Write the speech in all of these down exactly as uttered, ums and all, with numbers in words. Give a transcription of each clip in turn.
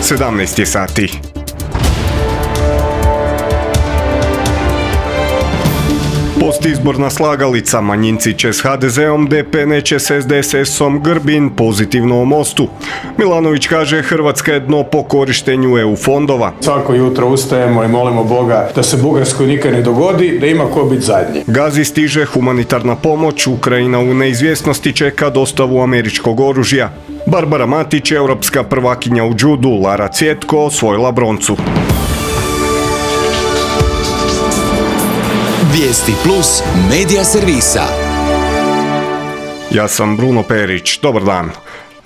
sedamnaest je sati. Postizborna slagalica, manjinci će s ha de zeom, de pe neće s es de es esom, Grbin pozitivno o mostu. Milanović kaže Hrvatska je dno po korištenju e u fondova. Svako jutro ustajemo i molimo Boga da se Bugarskoj nikad ne dogodi, da ima ko biti zadnji. Gazi stiže humanitarna pomoć, Ukrajina u neizvjesnosti čeka dostavu američkog oružja. Barbara Matić, europska prvakinja u džudu, Lara Cvjetko osvojila broncu. Vijesti plus medija servisa. Ja sam Bruno Perić, dobar dan.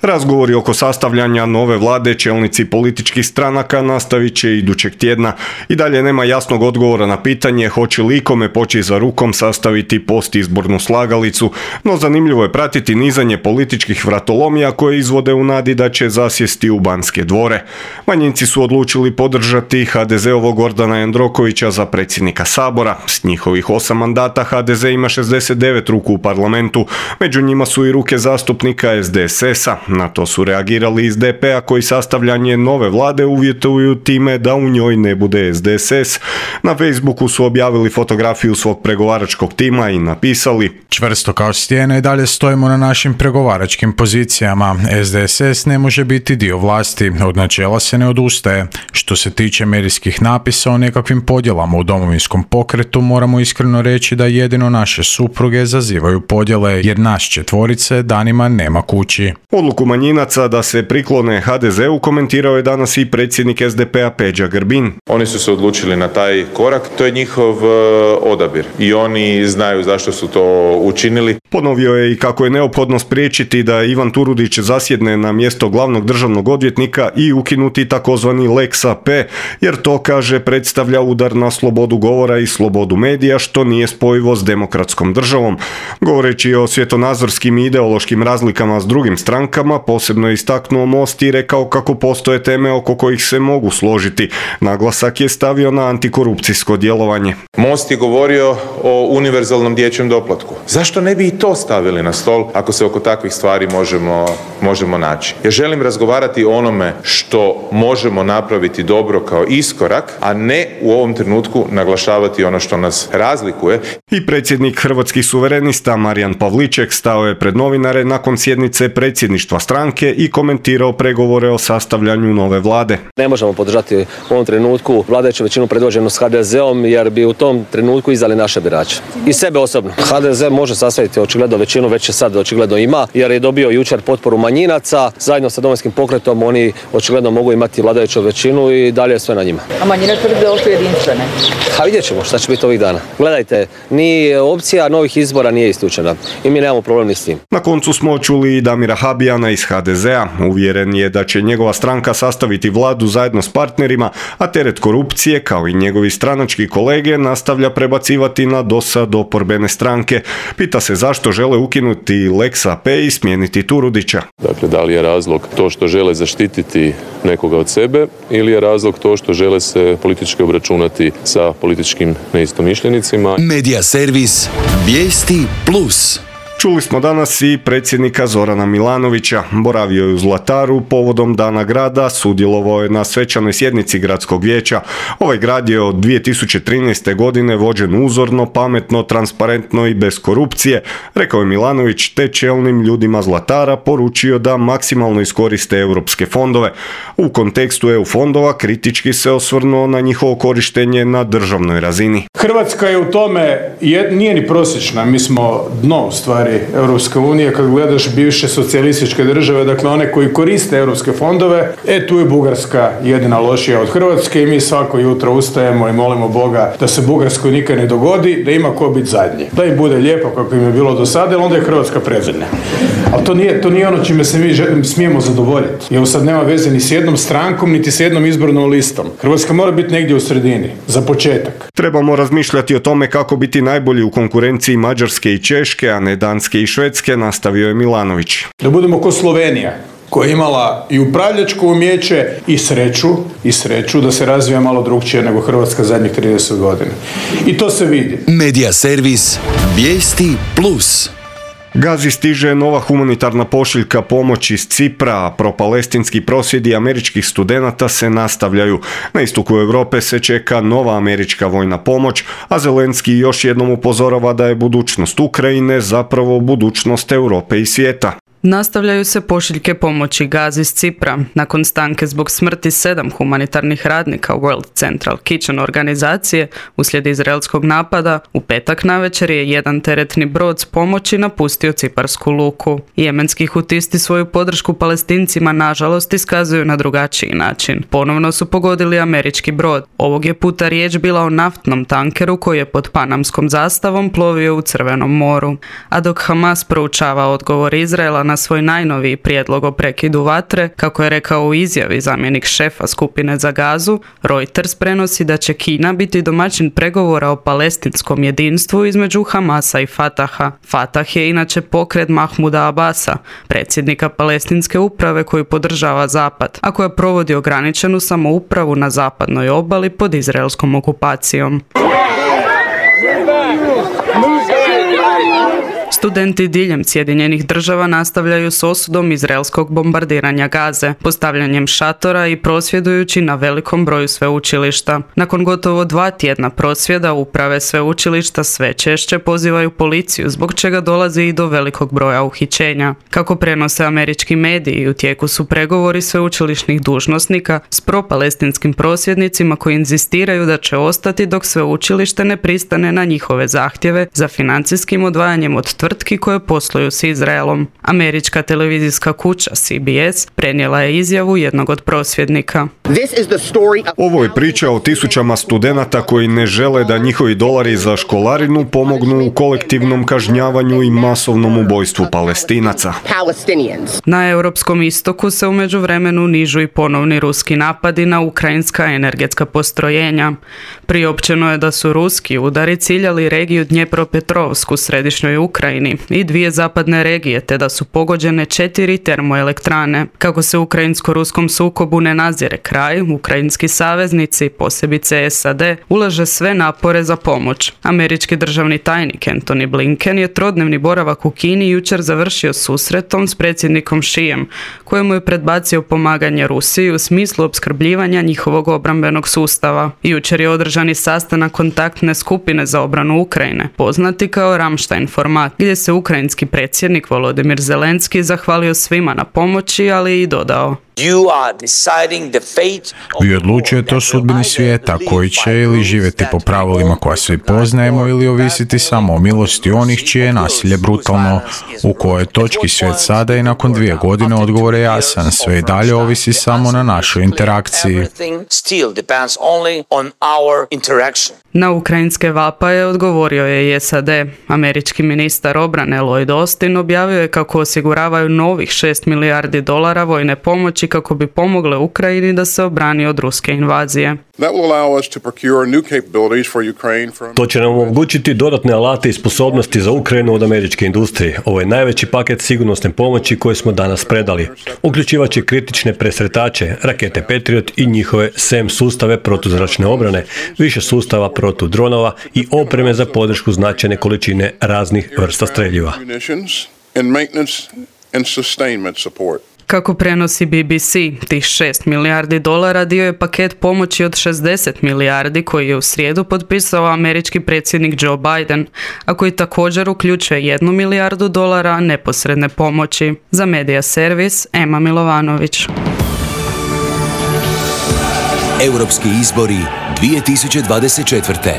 Razgovori oko sastavljanja nove vlade čelnici političkih stranaka nastavit će idućeg tjedna. I dalje nema jasnog odgovora na pitanje hoće li ikome poći za rukom sastaviti postizbornu slagalicu, no zanimljivo je pratiti nizanje političkih vratolomija koje izvode u nadi da će zasjesti u Banske dvore. Manjinci su odlučili podržati ha de zeovog Gordana Jandrokovića za predsjednika Sabora. S njihovih osam mandata ha de ze ima šezdeset devet ruku u parlamentu, među njima su i ruke zastupnika es de es esa. Na to su reagirali iz de pe a koji sastavljanje nove vlade uvjetuju time da u njoj ne bude es de es es. Na Facebooku su objavili fotografiju svog pregovaračkog tima i napisali: čvrsto kao stijene i dalje stojimo na našim pregovaračkim pozicijama. es de es es ne može biti dio vlasti, od načela se ne odustaje. Što se tiče medijskih napisa o nekakvim podjelama u Domovinskom pokretu, moramo iskreno reći da jedino naše supruge zazivaju podjele, jer naš četvorice danima nema kući. Odluku manjinaca da se priklone ha de zeu komentirao je danas i predsjednik es de pe a Peđa Grbin. Oni su se odlučili na taj korak, to je njihov odabir i oni znaju zašto su to učinili. Ponovio je i kako je neophodno spriječiti da Ivan Turudić zasjedne na mjesto glavnog državnog odvjetnika i ukinuti takozvani lex a pe, jer to, kaže, predstavlja udar na slobodu govora i slobodu medija, što nije spojivo s demokratskom državom. Govoreći o svjetonazorskim i ideološkim razlikama s drugim strankama, posebno je istaknuo Most i rekao kako postoje teme oko kojih se mogu složiti. Naglasak je stavio na antikorupcijsko djelovanje. Most je govorio o univerzalnom dječjem doplatku. Zašto ne bi i to stavili na stol ako se oko takvih stvari možemo, možemo naći? Ja želim razgovarati o onome što možemo napraviti dobro kao iskorak, a ne u ovom trenutku naglašavati ono što nas razlikuje. I predsjednik Hrvatskih suverenista Marijan Pavliček stao je pred novinare nakon sjednice predsjedništva stranke i komentirao pregovore o sastavljanju nove vlade. Ne možemo podržati u ovom trenutku vladajuću većinu predvođenu s ha de zeom, jer bi u tom trenutku izdali naše birače. I sebe osobno. ha de ze može sastaviti očigledno većinu, već je sad očigledno ima, jer je dobio jučer potporu manjinaca. Zajedno sa Domovinskim pokretom oni očigledno mogu imati vladajuću većinu i dalje je sve na njima. A manjine tvrde da su jedinstvene? A vidjet ćemo šta će biti ovih dana. Gledajte, ni opcija novih izbora nije isključena i mi nemamo problem ni s tim. Na koncu smo čuli i Damira Habijana iz ha de zea. Uvjeren je da će njegova stranka sastaviti vladu zajedno s partnerima, a teret korupcije, kao i njegovi stranački kolege, nastavlja prebacivati na dosad oporbene stranke. Pita se zašto žele ukinuti lex a pe i smijeniti Turudića. Dakle, da li je razlog to što žele zaštititi nekoga od sebe ili je razlog to što žele se politički obračunati sa političkim neistomišljenicima? Medija servis Vijesti plus. Čuli smo danas i predsjednika Zorana Milanovića. Boravio je u Zlataru povodom Dana grada, sudjelovao je na svečanoj sjednici gradskog vijeća. Ovaj grad je od dvije tisuće trinaeste. godine vođen uzorno, pametno, transparentno i bez korupcije, rekao je Milanović, te čelnim ljudima Zlatara poručio da maksimalno iskoriste europske fondove. U kontekstu e u fondova kritički se osvrnuo na njihovo korištenje na državnoj razini. Hrvatska je u tome, nije ni prosječna, mi smo dno u stvari Europske unije, kad gledaš bivše socijalističke države, dakle one koji koriste europske fondove, e tu je Bugarska jedina lošija od Hrvatske i mi svako jutro ustajemo i molimo Boga da se Bugarskoj nikad ne dogodi, da ima ko biti zadnji. Da im bude lijepo kako im je bilo do sada, ali onda je Hrvatska predzadnja. Ali to nije, to nije ono čime se mi smijemo zadovoljiti. Jer sad nema veze ni s jednom strankom, niti s jednom izbornom listom. Hrvatska mora biti negdje u sredini, za početak. Trebamo razmišljati o tome kako biti najbolji u konkurenciji Mađarske i Češke, a ne Danske i Švedske, nastavio je Milanović. Da budemo ko Slovenija, koja je imala i upravljačko umijeće i sreću, i sreću da se razvija malo drugčije nego Hrvatska zadnjih trideset godina. I to se vidi. Medija servis Vijesti plus. Gazi stiže nova humanitarna pošiljka pomoći iz Cipra, a propalestinski prosvjedi američkih studenata se nastavljaju. Na istoku Europe se čeka nova američka vojna pomoć, a Zelenski još jednom upozorava da je budućnost Ukrajine zapravo budućnost Europe i svijeta. Nastavljaju se pošiljke pomoći Gazi iz Cipra. Nakon stanke zbog smrti sedam humanitarnih radnika World Central Kitchen organizacije uslijed izraelskog napada, u petak navečer je jedan teretni brod s pomoći napustio ciparsku luku. Jemenski hutisti svoju podršku Palestincima nažalost iskazuju na drugačiji način. Ponovno su pogodili američki brod. Ovog je puta riječ bila o naftnom tankeru koji je pod panamskom zastavom plovio u Crvenom moru. A dok Hamas proučava odgovor Izraela na svoj najnoviji prijedlog o prekidu vatre, kako je rekao u izjavi zamjenik šefa skupine za Gazu, Reuters prenosi da će Kina biti domaćin pregovora o palestinskom jedinstvu između Hamasa i Fataha. Fatah je inače pokret Mahmuda Abasa, predsjednika palestinske uprave koju podržava Zapad, a koja provodi ograničenu samoupravu na zapadnoj obali pod izraelskom okupacijom. Studenti diljem Sjedinjenih država nastavljaju s osudom izraelskog bombardiranja Gaze, postavljanjem šatora i prosvjedujući na velikom broju sveučilišta. Nakon gotovo dva tjedna prosvjeda, uprave sveučilišta sve češće pozivaju policiju, zbog čega dolazi i do velikog broja uhićenja. Kako prenose američki mediji, u tijeku su pregovori sveučilišnih dužnosnika s propalestinskim prosvjednicima koji inzistiraju da će ostati dok sveučilište ne pristane na njihove zahtjeve za financijskim odvajanjem od tvrtki koje posluju s Izraelom. Američka televizijska kuća C B S prenijela je izjavu jednog od prosvjednika. Ovo je priča o tisućama studenata koji ne žele da njihovi dolari za školarinu pomognu u kolektivnom kažnjavanju i masovnom ubojstvu Palestinaca. Na europskom istoku se u međuvremenu nižu i ponovni ruski napadi na ukrajinska energetska postrojenja. Priopćeno je da su ruski udari ciljali regiju Dnjepropetrovsku u središnjoj Ukrajini i dvije zapadne regije, te da su pogođene četiri termoelektrane. Kako se ukrajinsko-ruskom sukobu ne nazire kraj, ukrajinski saveznici, posebice S A D, ulaže sve napore za pomoć. Američki državni tajnik Antony Blinken je trodnevni boravak u Kini jučer završio susretom s predsjednikom Xijem, kojemu je predbacio pomaganje Rusiji u smislu opskrbljivanja njihovog obrambenog sustava. Jučer je održan i sastanak kontaktne skupine za obranu Ukrajine, poznati kao Ramstein format, gdje se ukrajinski predsjednik Volodymyr Zelenski zahvalio svima na pomoći, ali i dodao: Vi odlučujete o sudbini svijeta koji će ili živjeti po pravilima koja svi poznajemo ili ovisiti samo o milosti onih čije je nasilje brutalno. U kojoj točki svijet sada i nakon dvije godine odgovor je jasan, sve i dalje ovisi samo na našoj interakciji. Na ukrajinske vapaje odgovorio je i S A D. Američki ministar obrane Lloyd Austin objavio je kako osiguravaju novih šest milijardi dolara vojne pomoći kako bi pomogle Ukrajini da se obrani od ruske invazije. To će nam omogućiti dodatne alate i sposobnosti za Ukrajinu od američke industrije. Ovo je najveći paket sigurnosne pomoći koje smo danas predali. Uključivaće kritične presretače, rakete Patriot i njihove S E M sustave protuzračne obrane, više sustava protu dronova i opreme za podršku značajne količine raznih vrsta streljiva. Kako prenosi B B C, tih šest milijardi dolara dio je paket pomoći od šezdeset milijardi koji je u srijedu potpisao američki predsjednik Joe Biden, a koji također uključuje jednu milijardu dolara neposredne pomoći. Za Media Servis, Ema Milovanović. Europski izbori dvije tisuće dvadeset četvrte.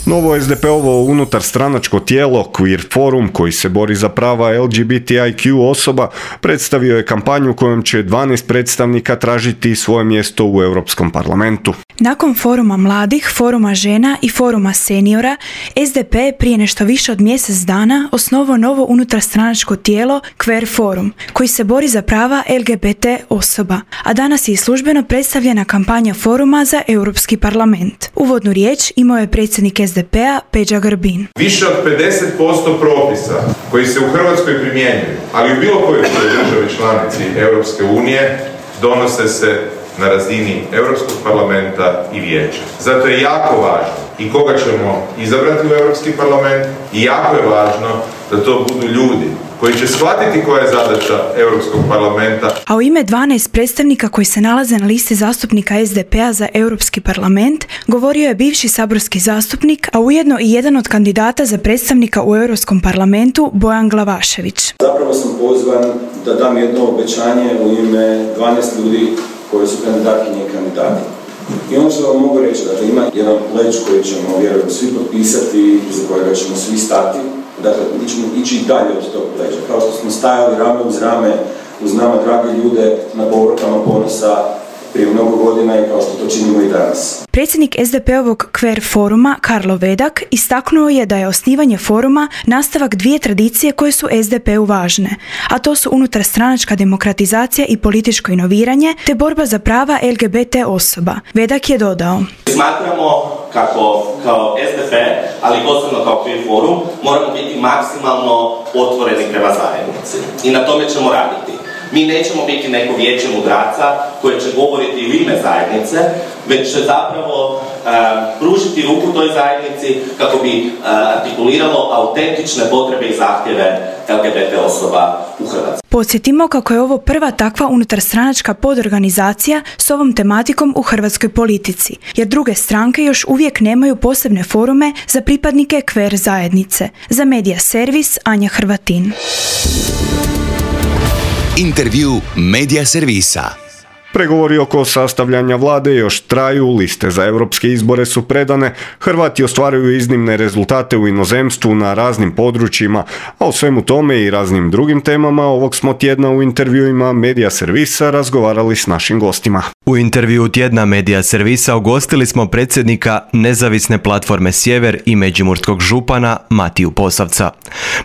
Novo es de pe-ovo unutar stranačko tijelo Queer Forum, koji se bori za prava L G B T I Q osoba, predstavio je kampanju kojom će dvanaest predstavnika tražiti svoje mjesto u Europskom parlamentu. Nakon foruma mladih, foruma žena i foruma seniora, S D P je prije nešto više od mjesec dana osnovao novo unutarstranačko tijelo Queer Forum, koji se bori za prava L G B T osoba, a danas je i službeno predstavljena kampanja foruma za Europski parlament. Uvodnu riječ imao je predsjednik S D P-a Peđa Grbin. Više od pedeset posto propisa koji se u Hrvatskoj primjenjuju, ali u bilo kojoj državi članici Europske unije, donose se na razini Europskog parlamenta i vijeća. Zato je jako važno i koga ćemo izabrati u Europski parlament i jako je važno da to budu ljudi koji će shvatiti koja je zadaća Europskog parlamenta. A u ime dvanaest predstavnika koji se nalaze na listi zastupnika es de pe a za Europski parlament govorio je bivši saborski zastupnik, a ujedno i jedan od kandidata za predstavnika u Europskom parlamentu, Bojan Glavašević. Zapravo sam pozvan da dam jedno obećanje u ime dvanaest ljudi koji su kandidatkinje i kandidati. I ono što vam mogu reći, dakle, ima jedan pledž koji ćemo, vjerujem, svi potpisati, za kojega ćemo svi stati. Dakle, mi ćemo ići dalje od tog pleđa. Kao što smo stajali rame uz rame uz nama drage ljude na povrkama ponosa prije mnogo godina i kao što to činimo i danas. Predsjednik es de pe ovog Kver foruma, Karlo Vedak, istaknuo je da je osnivanje foruma nastavak dvije tradicije koje su es de pe-u važne, a to su unutarstranačka demokratizacija i političko inoviranje, te borba za prava el ge be te osoba. Vedak je dodao: Smatramo kako kao es de pe, ali posebno kao Kver forum, moramo biti maksimalno otvoreni prema zajednici i na tome ćemo raditi. Mi nećemo biti neko vijeće mudraca koje će govoriti u ime zajednice, već će zapravo uh, pružiti ruku toj zajednici kako bi uh, artikuliralo autentične potrebe i zahtjeve el ge be te osoba u Hrvatskoj. Podsjetimo kako je ovo prva takva unutarstranačka podorganizacija s ovom tematikom u hrvatskoj politici, jer druge stranke još uvijek nemaju posebne forume za pripadnike Kver zajednice. Za Medija Servis, Anja Hrvatin. Intervju Medija Servisa. Pregovori oko sastavljanja vlade još traju, liste za europske izbore su predane, Hrvati ostvaruju iznimne rezultate u inozemstvu na raznim područjima, a o svemu tome i raznim drugim temama ovog smo tjedna u intervjuima Medija Servisa razgovarali s našim gostima. U intervju tjedna Medija Servisa ugostili smo predsjednika Nezavisne platforme Sjever i međimurskog župana Matiju Posavca.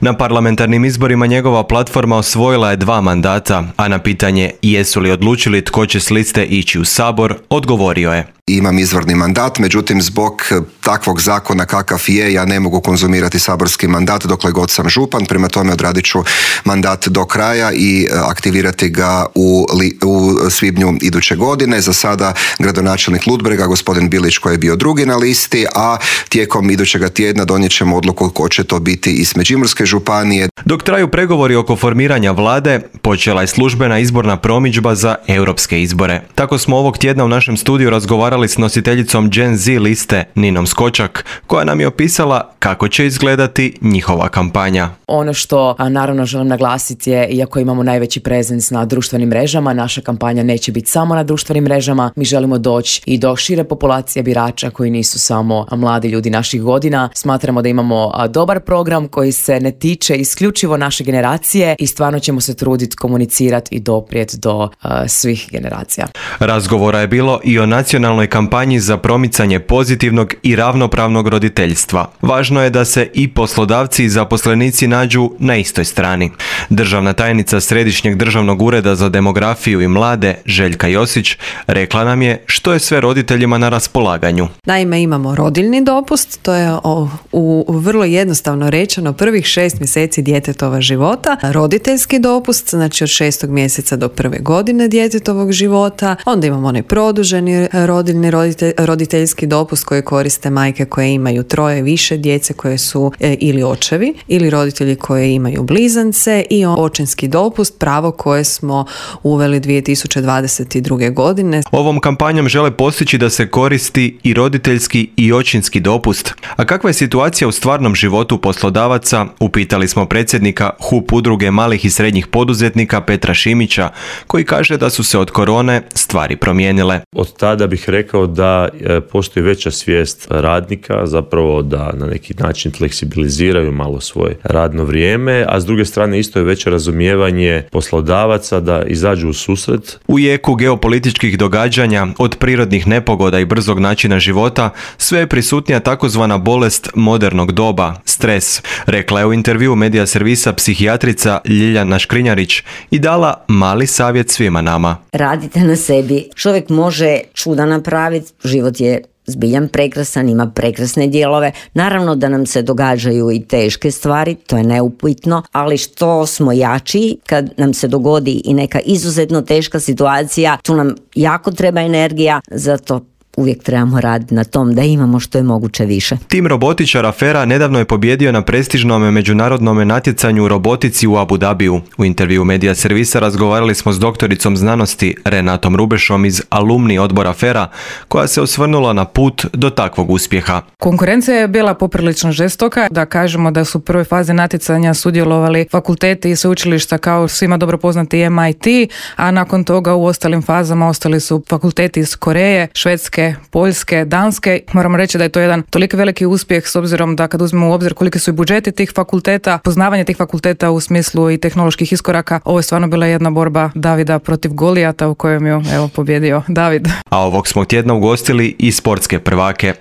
Na parlamentarnim izborima njegova platforma osvojila je dva mandata, a na pitanje jesu li odlučili tko će s liste ići u Sabor, odgovorio je: Imam izvorni mandat, međutim zbog takvog zakona kakav je, ja ne mogu konzumirati saborski mandat dokle god sam župan, prema tome odradit ću mandat do kraja i aktivirati ga u, li, u svibnju iduće godine. Za sada gradonačelnik Ludbrega, gospodin Bilić, koji je bio drugi na listi, a tijekom idućega tjedna donijet ćemo odluku ko će to biti iz Međimurske županije. Dok traju pregovori oko formiranja vlade, počela je službena izborna promidžba za europske izbore. Tako smo ovog tjedna u našem studiju razgovarali s nositeljicom Gen Z liste Ninom Skočak, koja nam je opisala kako će izgledati njihova kampanja. Ono što a, naravno želim naglasiti je, iako imamo najveći prezens na društvenim mrežama, naša kampanja neće biti samo na društvenim mrežama. Mi želimo doći i do šire populacije birača koji nisu samo a, mladi ljudi naših godina. Smatramo da imamo a, dobar program koji se ne tiče isključivo naše generacije i stvarno ćemo se truditi komunicirati i doprijeti do a, svih generacija. Razgovora je bilo i o nacionalnoj kampanji za promicanje pozitivnog i ravnopravnog roditeljstva. Važno je da se i poslodavci i zaposlenici nađu na istoj strani. Državna tajnica Središnjeg državnog ureda za demografiju i mlade, Željka Josić, rekla nam je što je sve roditeljima na raspolaganju. Naime, imamo rodiljni dopust, to je o, u, u vrlo jednostavno rečeno prvih šest mjeseci djetetova života. Roditeljski dopust, znači od šestog mjeseca do prve godine djetetovog života. Onda imamo onaj produženi rodiljni roditelj, roditeljski dopust koji koriste majke koje imaju troje više djece koje su e, ili očevi ili roditelji koji imaju blizance, i očinski dopust, pravo koje smo uveli dvije tisuće dvadeset druge. godine. Ovom kampanjom žele postići da se koristi i roditeljski i očinski dopust. A kakva je situacija u stvarnom životu poslodavaca, upitali smo predsjednika H U P udruge malih i srednjih poduzetnika Petra Šimića, koji kaže da su se od korone stvari promijenile. Od tada bih rekao da postoji veća svijest radnika, zapravo da na neki način fleksibiliziraju malo svoje radno vrijeme, a s druge strane isto je veće razumijevanje poslodavaca da izađu u susret. U jeku geopolitičkih događanja, od prirodnih nepogoda i brzog načina života, sve je prisutnija takozvana bolest modernog doba, stres, rekla je u intervju Medija Servisa psihijatrica Ljiljana Škrinjarić i dala mali savjet svima nama. Radite na sebi, čovjek može čuda napraviti, život je zbiljan prekrasan, ima prekrasne dijelove. Naravno da nam se događaju i teške stvari, to je neupitno, ali što smo jači kad nam se dogodi i neka izuzetno teška situacija, tu nam jako treba energija, zato uvijek trebamo raditi na tom da imamo što je moguće više. Tim robotičara Fera nedavno je pobjedio na prestižnom međunarodnom natjecanju u robotici u Abu Dhabiju. U intervju Medija Servisa razgovarali smo s doktoricom znanosti Renatom Rubešom iz alumni odbora Fera, koja se osvrnula na put do takvog uspjeha. Konkurencija je bila poprilično žestoka, da kažemo da su u prvoj fazi natjecanja sudjelovali fakulteti i sveučilišta kao svima dobro poznati M I T, a nakon toga u ostalim fazama ostali su fakulteti iz Koreje, Švedske, Poljske, Danske. Moram reći da je to jedan toliko veliki uspjeh s obzirom da kad uzmemo u obzir koliki su i budžeti tih fakulteta, poznavanje tih fakulteta u smislu i tehnoloških iskoraka, ovo je stvarno bila jedna borba Davida protiv Golijata u kojem je evo pobjedio David. A ovog smo tjedna ugostili i sportske prvake.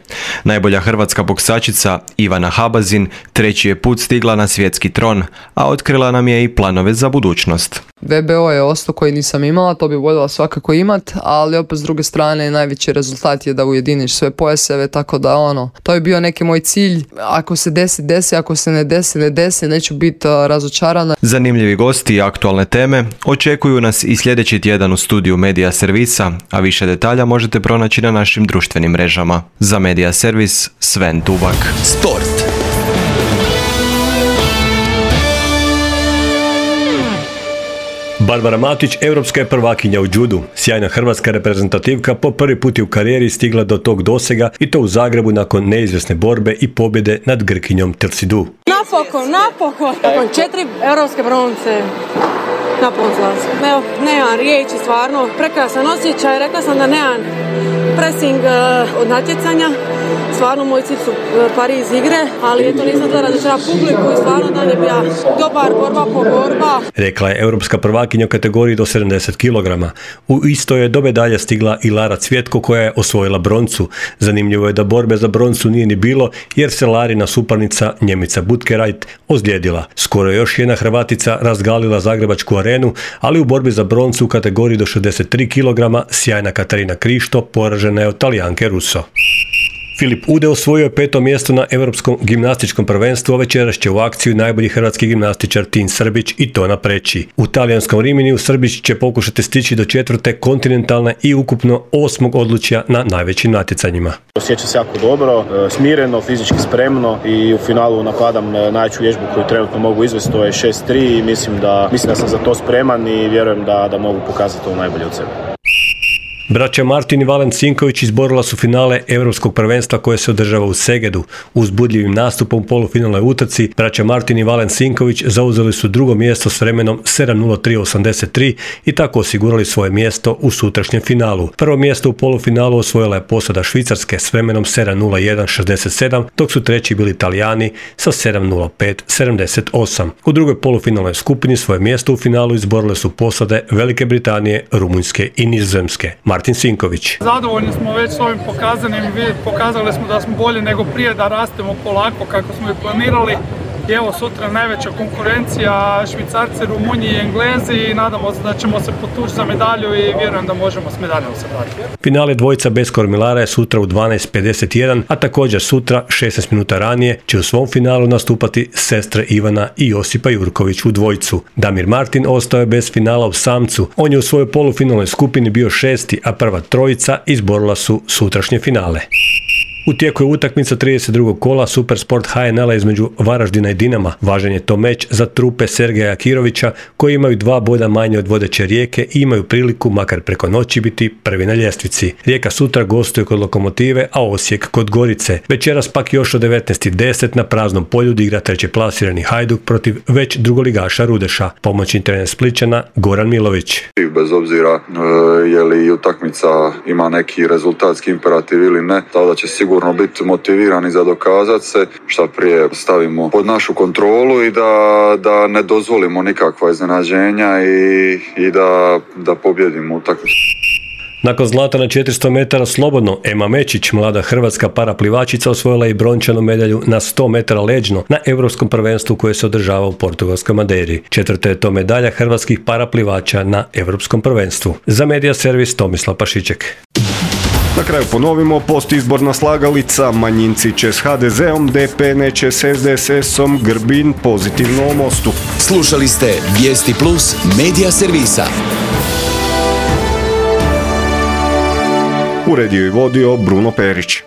Najbolja hrvatska boksačica Ivana Habazin treći je put stigla na svjetski tron, a otkrila nam je i planove za budućnost. V B O je ostao koji nisam imala, to bi voljela svakako imat, ali opet s druge strane najveći rezultat je da ujediniš sve pojaseve, tako da ono, to je bio neki moj cilj. Ako se desi, desi, ako se ne desi, ne desi, neću biti uh, razočarana. Zanimljivi gosti i aktualne teme očekuju nas i sljedeći tjedan u studiju Medija Servisa, a više detalja možete pronaći na našim društvenim mrežama. Za Medija Servis, Sven Tubak. Sport. Barbara Matić, europska je prvakinja u judu. Sjajna hrvatska reprezentativka po prvi put je u karijeri stigla do tog dosega i to u Zagrebu nakon neizvjesne borbe i pobjede nad Grkinjom Tersidu. Napokon, napokon! Nakon četiri europske bronce. Napokon zlazim. Evo, nemam riječi, stvarno. Prekrasan osjećaj, rekla sam da nemam pressing uh, od natjecanja. Stvarno moj cilj su Pariz igre, ali eto nisam da razočara publiku i stvarno da je bila dobar borba po borba. Rekla je europska prvakinja u kategoriji do sedamdeset kilograma. U istoj je do medalje stigla i Lara Cvjetko koja je osvojila broncu. Zanimljivo je da borbe za broncu nije ni bilo jer se Larina suparnica Njemica Butkerajt ozlijedila. Skoro je još jedna Hrvatica razgalila zagrebačku arenu, ali u borbi za broncu u kategoriji do šezdeset tri kilograma sjajna Katarina Krišto poražena je od Talijanke Russo. Filip Ude osvojio je peto mjesto na Europskom gimnastičkom prvenstvu, a večeras će u akciju najbolji hrvatski gimnastičar Tin Srbić i to na Preći. U talijanskom Riminiju Srbić će pokušati stići do četvrte kontinentalne i ukupno osmog odlučja na najvećim natjecanjima. Osjećam se jako dobro, smireno, fizički spremno i u finalu napadam najveću vježbu koju trenutno mogu izvesti, to je šest tri i mislim da, mislim da sam za to spreman i vjerujem da, da mogu pokazati to najbolje od sebe. Braća Martin i Valen Sinković izborila su finale Europskog prvenstva koje se održava u Segedu. Uzbudljivim nastupom u polufinalnoj utrci braća Martin i Valen Sinković zauzeli su drugo mjesto s vremenom sedam nula tri osamdeset tri i tako osigurali svoje mjesto u sutrašnjem finalu. Prvo mjesto u polufinalu osvojila je posada Švicarske s vremenom sedam nula jedan šezdeset sedam, dok su treći bili Italijani sa sedam nula pet sedamdeset osam. U drugoj polufinalnoj skupini svoje mjesto u finalu izborile su posade Velike Britanije, Rumunjske i Nizozemske. Martin Sinković. Zadovoljni smo već s ovim pokazanim, pokazali smo da smo bolji nego prije, da rastemo polako kako smo i planirali. I evo sutra najveća konkurencija, Švicarci, Rumunji i Englezi i nadamo se da ćemo se potući za medalju i vjerujem da možemo s medaljom se vratiti. Finale dvojica bez kormilara je sutra u dvanaest pedeset jedan, a također sutra šesnaest minuta ranije će u svom finalu nastupati sestre Ivana i Josipa Jurković u dvojcu. Damir Martin ostao je bez finala u samcu. On je u svojoj polufinalnoj skupini bio šesti, a prva trojica izborila su sutrašnje finale. U tijeku je utakmica trideset drugog kola Supersport H N L-a između Varaždina i Dinama. Važan je to meč za trupe Sergeja Akirovića koji imaju dva boda manje od vodeće Rijeke i imaju priliku makar preko noći biti prvi na ljestvici. Rijeka sutra gostuje kod Lokomotive, a Osijek kod Gorice. Večeras pak još od devetnaest deset na praznom polju igra treće plasirani Hajduk protiv već drugoligaša Rudeša. Pomoćni trener Splićana Goran Milović. Bez obzira je li utakmica ima neki rezultatski imperativ ili ne, tada će sigurno biti motivirani za dokazati se, šta prije stavimo pod našu kontrolu i da, da ne dozvolimo nikakva iznenađenja i, i da, da pobjedimo utakmicu. Nakon zlata na četiristo metara slobodno, Ema Mečić, mlada hrvatska paraplivačica, osvojila i brončanu medalju na sto metara leđno na Europskom prvenstvu koje se održava u portugalskoj Madeiri. Četvrta je to medalja hrvatskih paraplivača na Europskom prvenstvu. Za Medija Servis Tomislav Pašiček. Na kraju ponovimo, postizborna slagalica, manjinci će s H D Z-om, D P neće s S D S S-om, Grbin pozitivno o Mostu. Slušali ste Vijesti Plus Medija Servisa. Uredio i vodio Bruno Perić.